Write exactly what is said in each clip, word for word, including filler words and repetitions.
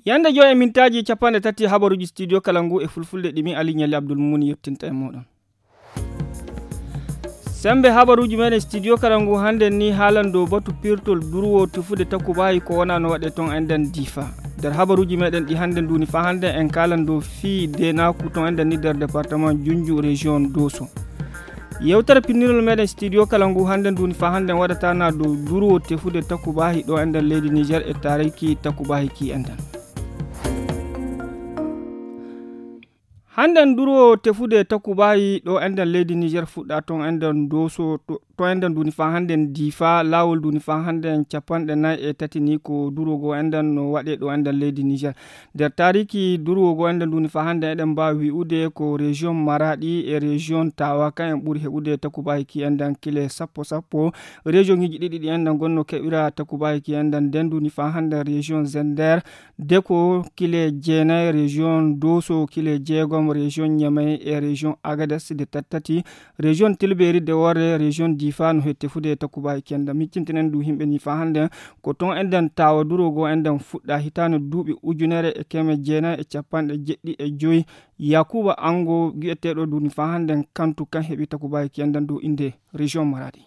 Yande joy e mintaaji capanɗe tati habaruuji studio kala ngu e fulfulde ɗimi Ali Ñali Abdul Muni yettinta e moɗon. Sembe habaruuji meɗen studio kala ngu hannde ni haalan dow batu pirtol durwo tefude takubayi ko wona no waɗe ton enden difa. Nder habaruuji meɗen ɗi hannde nduni fa hannde en kalan dow fii denaku ton enden ni nder département Junju région Doso. Yewtere pinnirol meɗen studio kala ngu hannde nduni fa hannde en waɗatana dow durwo tefude takubahi ɗo enden leydi Niger e tariki takubahi ki enden. Hannden durwo tefude takubayi ɗo enden leydi Niger fuɗɗa ton enden doso to enden duni fa hannden difa lawol duni fa hannden capanɗe nayi e tati ni ko durwo go enden no waɗe ɗo enden leydi Niger. Nder tariki durwo go enden duni fa hannden eɗen mbawi wi'ude ko région Maradi e région Tawa kan en ɓuri heɓude takubayi ki enden kile sappo sappo. Région iji ɗiɗi ɗi enden gonno keɓira takubayi ki enden nden duni fa hannden région Zender, Deko kile jeenayi région Doso kile jeegom région Ñamey e région Agades de tattati région Tilberi de worre région Difa no hette fude takubayi kenda miccintinen du himɓe ni fa hande ko ton enden tawa durogo enden fuɗɗa hitande duuɓi ujunere e keme jeenayi e capanɗe jeɗɗi e joyi. Yakuba Ango gi'eteɗo duni fa hande kantu kan heɓi takubayi kenden du inde région Maradi.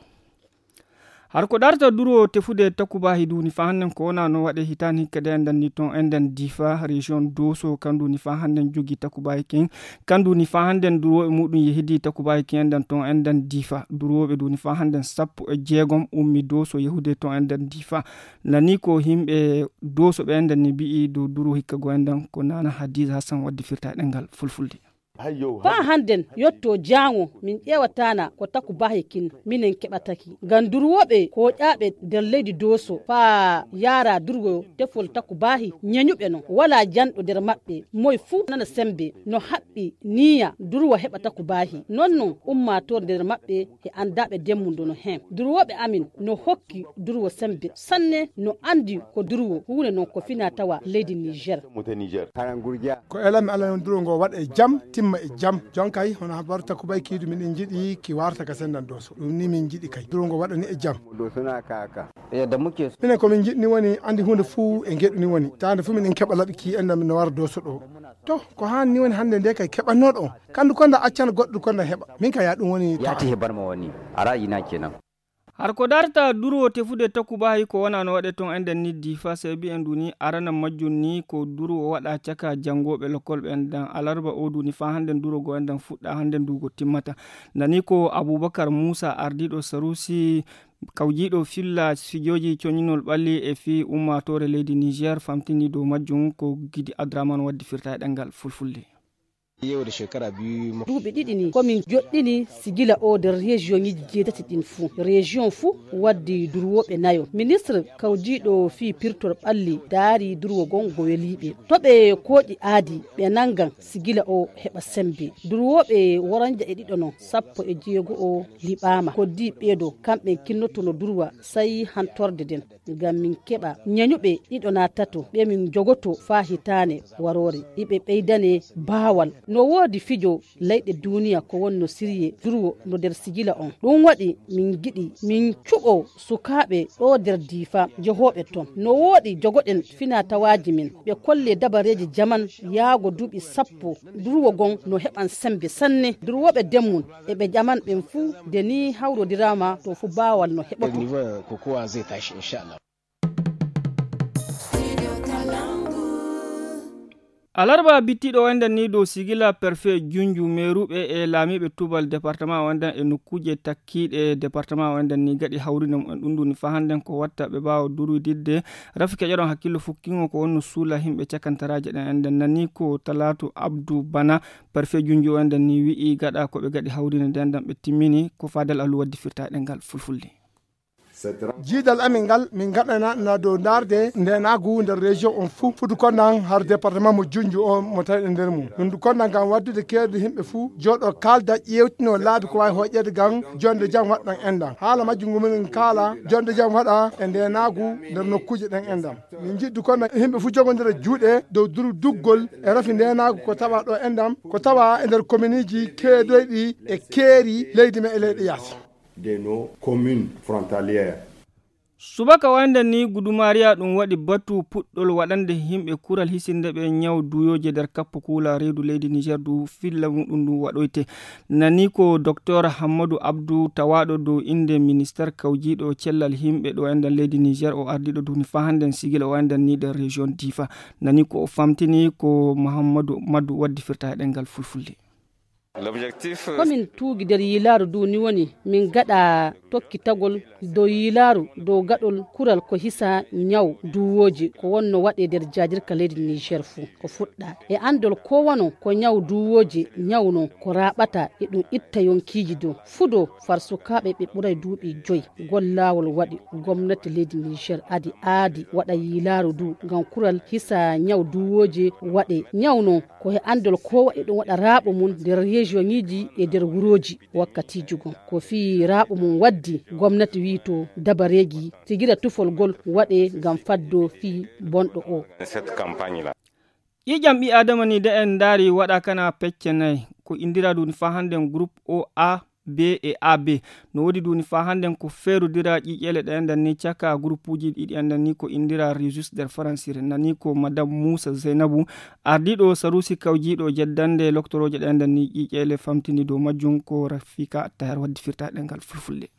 Har ko ɗarta duro tefude takubahi duni fa hannen ko wona no waɗe hitani hikka de enden ni ton enden difa région Doso kan duni fa hannen jogi takubahi kin kan duni fa handen duroɓe muɗum yehidi takubahi kin enden ton enden difa duroɓe duni fa handen sappo e jeegom ummi Doso yehude ton enden difa. Nani ko himɓe Doso ɓe enden ni bi'i dow duro hikka go enden ko nana Hadiza Hassan waddi firta e ɗengal fulfulde. Faa hannden yotto jaango min ƴeewataana ko takubaahi kin minen keɓataki. Ngam durwooɓe kooƴaaɓe nder leydi Dooso faa yaara durwo tefol takubaahi ñeñuɓe non. Walaa janɗo nder maɓɓe. Moy fuu nana semmbe no haɓɓi niiya durwo heɓa takubaahi. Non non ummaatoore nder maɓɓe e anndaaɓe demmundo no hen. Durwooɓe amin no hokki durwo semmbe sanne no anndi ko durwo huunde non ko finaa tawa leydi Niger. Ko elanmi Allah non duro ngo waɗa e jam timma e jam. Jonkay hono habaru takubay kiidu miɗen jiɗi ki warta ka sendan Dooso ɗum ni min jiɗi kay duro ngo waɗani e jam. Minen ko min jiɗni woni andi hunde fuu e ngeɗu ni woni tande fuu miɗen keɓa laɓi ki endan min no wara Dooso ɗo. To ko han ni woni hande nde kay keɓannoɗo on kandu konda accana goɗɗo konda heɓa min ka ya ɗum woni. Yati hebar ma woni ara yina kenan. Har ko darta durwo tefude takubahi ko wona no waɗe ton enden ni difa sebi en duni arana majjum ni ko durwo waɗa caka jangoɓe lokol ɓe enden alarba o duni fa handen durogo enden fuɗɗa handen dugo timmata. Nani ko Abubakar Musa ardiɗo Sarusi kawjiɗo filla fijoji coñinol ɓalli e fi ummatore leydi Niger famtini dow majjum ko Gidi Adraman waddi firta e ɗengal fulfulde. Duuɓi ɗiɗi ni komin joɗɗini sigila o nder rejiyoŋiji jeetati ɗin fuu. Rejiyon fuu waddi durwooɓe nayo. Ministre kawjiiɗo fii pirtol ɓalli daari durwo gon go weliiɓe. To ɓe kooƴi aadi ɓe nangan sigila o heɓa sembe. Durwooɓe woranja e ɗiɗo non sappo e jeego o liɓaama. Koddi ɓeeɗo kamɓen kinnotono durwa sayi hantorde nden. Ngam min keɓa ñañuɓe ɗiɗo naa tato ɓe min jogoto faa hitaane waroore iɓe ɓeydane baawal. No woodi fijo layɗe duuniya ko wonno sirye durwo no nder sigila on. Ɗum waɗi min giɗi min cuɓo sukaaɓe ɗo nder diifa jehooɓe ton. No woodi jogoɗen finaa tawaaji min ɓe kolle dabareeji jaman yaago duuɓi sappo durwo gon no heɓan sembe sanne. Durwooɓe demmum e ɓe ƴaman ɓen fuu de ni hawrodiraama to fuu baawal no heɓoto. Alarba bittiɗo o enden ni dow sigila perfe junju meeruɓe e laamiiɓe tubal département o enden e nokkuuje takkiiɗe département o enden ni gaɗi hawrinde mumen ɗum ɗum ni fa hannden ko watta ɓe mbaawa durwididde. Rafi keƴoɗon hakkillo fukkingo ko wonno suula himɓe cakantaraaje ɗen enden nani ko talaatu abdu bana. Parfait junju o enden ni wi'i gaɗa ko ɓe gaɗi hawrinde nden ɗan ɓe timmini ko fadal alu waddi firta e ɗengal fulfulde. Jiidal amin ngal min ngaɗana na dow ndaarde ndenaagu nder région on fuu, fudu konnan har département mo Junju o mo tawɗen nder mum. Min du konnan ngam waddude keerdi yimɓe fuu jooɗo kaalda ƴeewtino laabi ko waawi hoƴƴeede ngam jonde jam waɗɗan enɗam. Haala majjum ngu minen kaala jonde jam waɗa e ndenaagu nder nokkuuje ɗen enɗam. Min njiɗdu konnan yimɓe fuu jogondira juuɗe dow duru duggol e rafi ndenaagu ko tawa ɗo enɗam, ko tawa e nder kominiiji keedoyɗi e keeri leydi men e leyɗe yaasi. De nos communes frontalières. Subaka wande ni Gudumariya ɗum waɗi batu puɗɗol waɗande yimɓe kural hisinde ɓe ñaw duyooje nder kappo kuula reedu leydi Niger du filla muɗum ɗum waɗoyte. Nani ko Docteur Hammadu Abdu tawaaɗo dow innde ministère kawjiiɗo cellal yimɓe ɗo enɗan leydi Niger, o ardiiɗo duni fahanden sigil o enɗan ni ɗo région Difa. Nani ko o famtini ko Muhammadu Madu waddi firta e ɗengal fulfulde. Ko min tuugi nder yiilaaru ndu ni woni min ngaɗa tokkitagol dow yiilaaru dow gaɗol kural ko hisa ñaw duwooji ko wonno waɗe nder jaajirka leydi Niger fuu. Ko fuɗɗa e anndol ko wano ko ñaw duwooji ñawno ko raaɓata e ɗum itta yonkiiji dow fudo far sukaaɓe ɓe ɓuray duuɓi joyi. Gollaawol waɗi gomnati leydi Niger adi aadi waɗa yiilaaru ndu ngam kural hisa ñaw duwooji waɗe ñawno. Ko he anndol ko waɗi ɗum waɗa raaɓo mum nder région ŋiiji e nder wurooji. Wakkatiiji gom ko fii raaɓo mum waddi gomnati wiito dabareegi sigira tufol gol waɗe ngam faddo fii bonɗo o. Ƴiiƴam ɓii aadama ni de en ndaari waɗa kana pecce nayi ko indira ɗum faa hannden groupe o a b e a b. No woodi ɗum faa hannden ko feerudira ƴiiƴeele ɗe enɗan ni caka groupuuji ɗiɗi enɗan ni ko indira resus nder faransire nani ko madame moussa zeynabu ardiiɗo sarusi kawjiiɗo jeddande loktorooje ɗe enɗan ni ƴiiƴeele famtini dow majjum ko rafika taher waddi firta ɗengal fulfulde.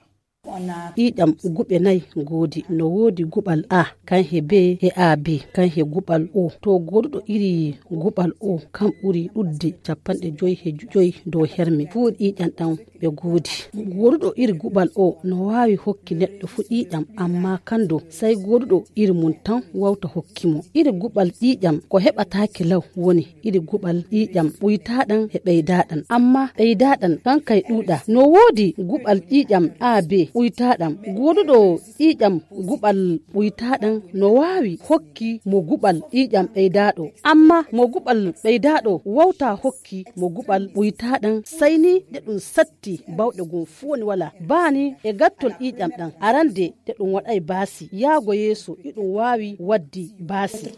Ƴiiƴam guɓe nayi ngoodi no woodi guɓal a kan he b e a b kan he guɓal o to gooduɗo iri guɓal o kan ɓuri ɗudde capanɗe joyi he joyi dow herme fuu ƴiiƴam ɗam ɓe ngoodi. Gooduɗo iri guɓal o no waawi hokki neɗɗo fuu ƴiiƴam amma kando sai gooduɗo iri mum tan wawta hokki mo iri guɓal ƴiiƴam ko heɓataake law woni iri guɓal ƴiiƴam ɓuytaaɗam e ɓeydaaɗam amma ɓeydaaɗam kan kay ɗuuɗa no woodi guɓal ƴiiƴam a b ɓuytaaɗam gooduɗo ƴiiƴam guɓal ɓuytaaɗam no waawi hokki mo guɓal ƴiiƴam ɓeydaaɗo amma mo guɓal ɓeydaaɗo wawta hokki mo guɓal ɓuytaaɗam sai ni nde ɗum satti bawɗe gom fuu woni wala baani e gattol ƴiiƴam ɗam arande nde ɗum waɗay baasi yaago yeeso iɗum waawi waddi baasi.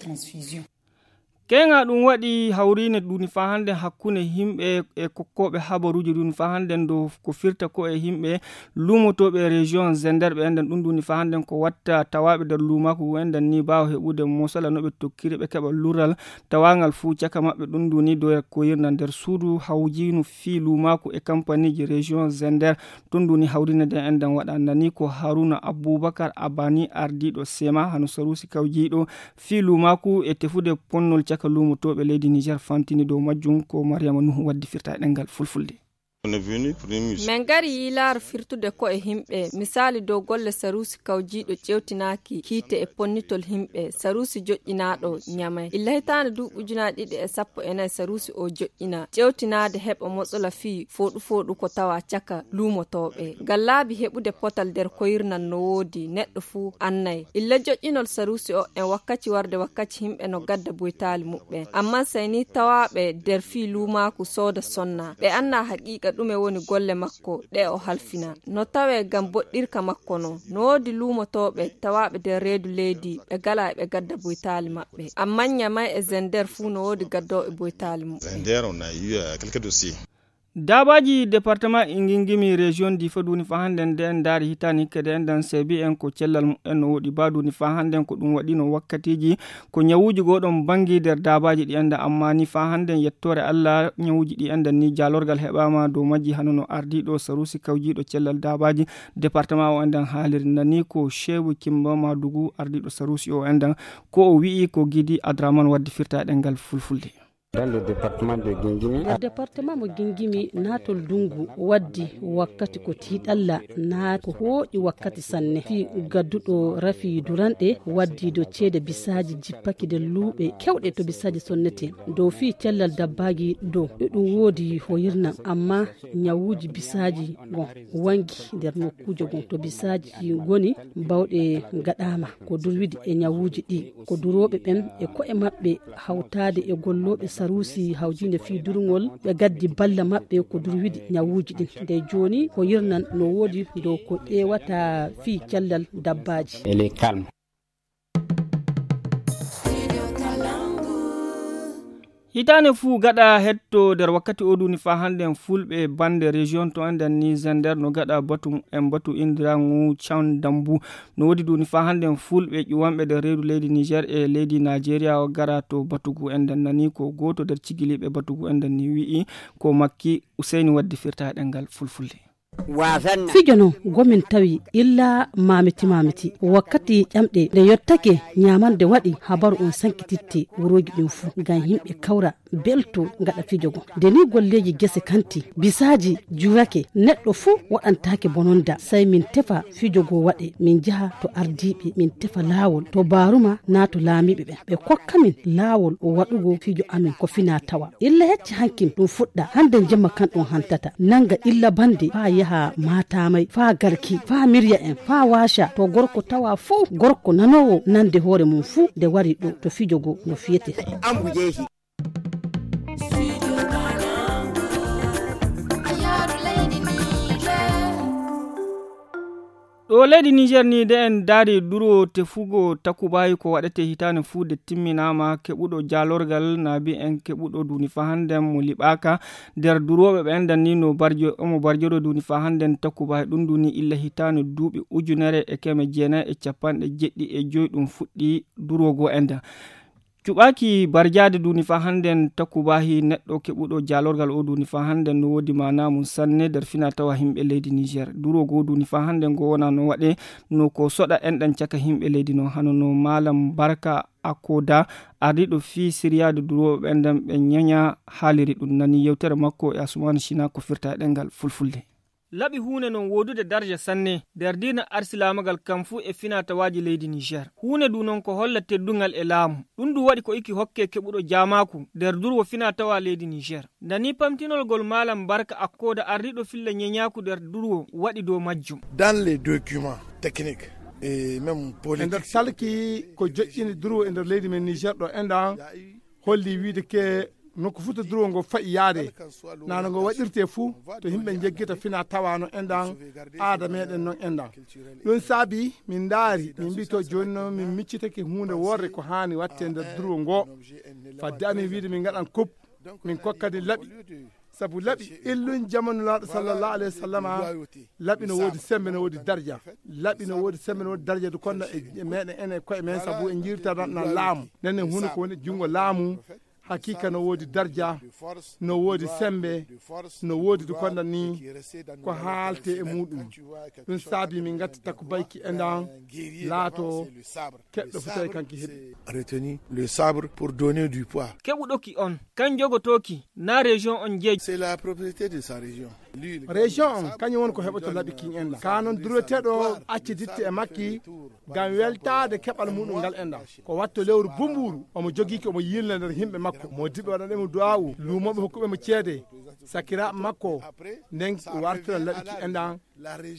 Keŋa ɗum waɗi hawriine duni faa hannden hakkunde yimɓe e kokkooɓe habaruuji duni faa hannden dow ko firta ko e yimɓe luumotooɓe e région Zender ɓe enɗan ɗum duni faa hannden ko watta tawaaɓe nder luumaaku ngu enɗan ni baawa heɓude mosala no ɓe tokkiri ɓe keɓa lural tawaangal fuu caka maɓɓe ɗum duni dow koyirna nder suudu hawjiinu fii luumaaku e kampaniiji région Zender. Tun duni hawriine nden enɗan waɗa nani ko Haruna Abubakar Abani ardiiɗo sema hano saruusi kawjiiɗo fii luumaaku e tefude ponnol caka luumotooɓe leydi Niger fantini dow majjum ko Mariama Nuhu waddi firta e ɗemngal fulfulde. Min ngari yiilaaru firtude ko'e yimɓe, misaali dow golle saruusi kawjiiɗo ƴeewtinaaki hiite e ponnitol yimɓe, saruusi joƴƴinaaɗo Ñamay. Illa hitaande duuɓi ujunaaji ɗiɗi e sappo e nayi saruusi o joƴƴina, ƴeewtinaade heɓa motsola fii fooɗu-fooɗu ko tawa caka luumotooɓe. Ngam laabi heɓude potal nder koyirnal no woodi, neɗɗo fuu annay. Illa joƴƴinol saruusi o en wakkaci warde wakkaci yimɓe no gadda boytaali muɓɓen. Ammaa sey ni tawaaɓe nder fii luumaaku sooda sonna. Ɓe annaa haqiiqa ɗume woni golle makko ɗe o halfina. No tawee ngam boɗɗirka makko non. No woodi luumotooɓe tawaaɓe nder reedu leydi ɓe galaa eɓe gadda boytaali maɓɓe. Ammaa Ñamay e Zender fuu no woodi gaddooɓe boytaali muɓɓen. Zender, on a eu, euh, quelques dossiers. Daabaaji département Ingingimi région Difa duni faa hannden nden ndaari hitaani kadi enɗan seebi en ko cellal muɓɓen no woɗi baa duni faa hannden ko ɗum waɗino wakkatiiji ko ñawuuji gooɗon banngi nder daabaaji ɗi enɗan amma ni faa hannden yettoore Allah ñawuuji ɗi enɗan ni jaalorgal heɓaama dow majji hano no ardiiɗo saruusi kawjiiɗo cellal daabaaji département o enɗan haaliri nani ko Sheewu Kimba Madugu ardiiɗo saruusi o enɗan ko o wi'i ko Gidi Adraman waddi firta e ɗemngal fulfulde. Dans le département de Gingimi. Nder département mo Gingimi, naatol ndungu waddi wakkati ko tiiɗalla, naa ko hooƴi wakkati sanne. Fii gadduɗo rafi duranɗe waddi dow ceede bisaaji jippaki nder luuɓe kewɗe to bisaaji sonnete. Dow fii cellal dabbaaji dow, e ɗum woodi hoyirna, amma ñawuuji bisaaji gon wangi nder nokkuuje gon to bisaaji ngoni bawɗe ngaɗaama. Ko durwidi e ñawuuji ɗi, ko durooɓe ɓen e ko'e maɓɓe hawtaade e gollooɓe saruusi hawjiinde fii durngol, ɓe gaddi balla maɓɓe ko durwidi ñawuuji ɗin. Nde jooni ko yirnan no woodi dow ko ƴeewata fii cellal dabbaaji. Elle est calme. Hitaande fuu gaɗa hetto nder wakkati o duni faa hannden fulɓe bannde région to enɗan ni Zender no gaɗa batu en batu indirangu Can Dambu. No woodi duni faa hannden fulɓe ƴuwanɓe nder reedu leydi Niger e leydi Nigeria o gara to batugu enɗan nani ko gooto nder cigiliiɓe batugu enɗan ni wi'i ko makki Useyni waddi firta e ɗemngal fulfulde. Fijo non gomin tawi illa mamiti mamiti wakkati ƴamɗe nde yottake ñamande waɗi habaru on sankititte wurooji ɗin fuu ngam yimɓe kawra belto ngaɗa fijo go. Nde ni golleeji gese kanti bisaaji jurake neɗɗo fuu waɗantaake bononda sai min tefa fijo go waɗe min jaha to ardiiɓe min tefa laawol to baaruma naa to laamiiɓe ɓen ɓe kokka min laawol o waɗugo fijo amin ko fina tawa. Illa hecci hankin ɗum fuɗɗa hannden jemma kan ɗum hantata nanga illa bande faa yaha maatamay faa garki faa mirya en faa waaca to gorko tawa fow gorko nanoowo nande hoore mum fuu nde wari ɗo to fijo go no fiyete. Ɗo leydi Niger ni de en daari duro tefugo takubayi ko waɗete hitaande fuu de timminaama keɓuɗo jaalorgal naabi en keɓuɗo duni faa hannden mo liɓaaka nder durooɓe ɓe enɗan ni no barjo omo barjoro duni faa hannden takubayi ɗum duni illa hitaande duuɓi ujunere e keme jeenayi e capanɗe jeɗɗi e joyi ɗum fuɗɗi duroogo enɗan. Cuɓaaki barjaade duni faa hannden takubahi neɗɗo keɓuɗo jaalorgal o duni faa hannden no woodi maanaa mum sanne nder fina tawa yimɓe leydi Niger. Duroogo duni faa hannden ngo wona no waɗe no ko soɗa enɗan caka yimɓe leydi no hano no Maalam Barka Akoda ardiiɗo fii siryaade durooɓe enɗan ɓe ñaña haaliri ɗum nani yewtere makko e Asumaani Sina ko firta e ɗemngal fulfulde. Laɓi huunde non woodude darja sanne nder diina arsilaamagal kam fuu e finatawaaji leydi Niger. Huunde du non ko holla teddungal e laamu. Ɗum du waɗi ko iki hokke keɓuɗo jaamaaku nder durwo finatawa leydi Niger. Nani pamtinol gol Maalam Barka Akkoda ardiiɗo filla ñeñaaku nder durwo waɗi dow majjum. Dans les documents techniques et même e nder politiques, talki ko joƴƴini durwo e nder leydi men Niger ɗo enɗan holli wiide ke nokku fuu to durwo ngo fa'i yaade nano ngo waɗirte fuu to yimɓe njeggita fina tawano enɗan aada meɗen non enɗan. Ɗum saabi min ndaari min mbi to jooni noon min miccitake huunde worre ko haani watte nder durwo ngo. Fadde amin wiide min ngaɗan kub min kokkani laɓi sabu laɓi illun jamanu laaɗo sallallahu alayhi wa sallama. Laɓi no woodi sembe no woodi darja. Laɓi no woodi sembe no woodi darja du konno e meɗen ene koye men sabu en jirtanan laamu nenen huno ko woni junngo laamu. Hakiika no woodi darja no woodi sembe no woodi du konno ni ko haalte e muɗum. Ɗum saabi min ngatti takku bayki enɗan laato keɗɗo fo tawi kanki heɓi. Retenu le sabre pour donner du poids. Keɓuɗoki on kan jogotooki na région on jeeji. C'est la propriété de sa région. Région on kañum woni ko heɓoto laɓi kin enɗan ka noon dureteɗo acciditte e makki ngam weltaade keɓal muɗum ngal enɗan ko watto lewru bumburu omo jogiki omo yilna nder yimɓe makko mo diɓe waɗanemo duwawu lumoɓe hokkuɓemo ceede sakiraɓe makko nden wartira laɓi ki enɗan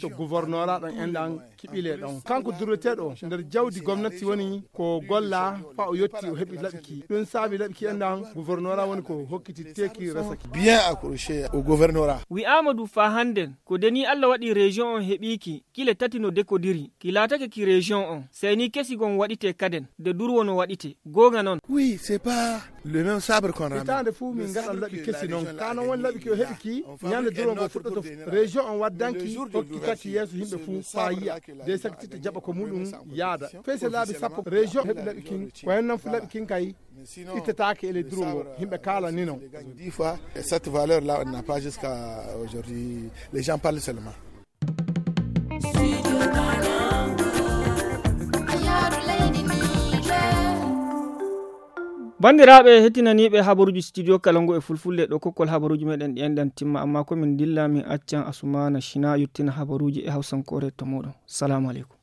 to gouvernora ɗon enɗan kiɓile ɗon kanko durweteɗo nder jawdi gomnati woni ko golla fa o yetti o heɓi laɓki ɗum saabi laɓki enɗan gouvernora woni ko hokkiti teki resaki. Bien accroché au gouvernorat. Wi'ama du fa hannden ko deni Allah waɗi région on heɓiki kile tati no dekodiri ki laatake ki région on seyni kesi gon waɗite kaden de durwo no waɗite gonga non. Oui, c'est pas le même sabre qu'on ramène. Hitaande fuu min ngaɗan laɓi kesi noon kaa noon woni laɓi ki o heɓi ki ñande durwo ngo fuɗɗoto. Région on waddanki hokki kaki yeeso yimɓe fuu faa yi'a de sakititta jaɓa ko muɗum yaada fey se laabi sappo région heɓi laɓi kin ko hen noon fu laɓi kin kay ittataake e ley durwo ngo yimɓe kaalani noon. Dix fois cette valeur là on n'a pas jusqu'à aujourd'hui, les gens parlent seulement. Banndiraaɓe heɗtinaniiɓe habaruuji studio kala ngu e fulfulde, ɗo kokkol habaruuji meɗen ɗi enɗan timma, amma ko min dilla min accan Asumaana Shina yottina habaruuji e hawsankoore to muɗum. Salaamu aleykum.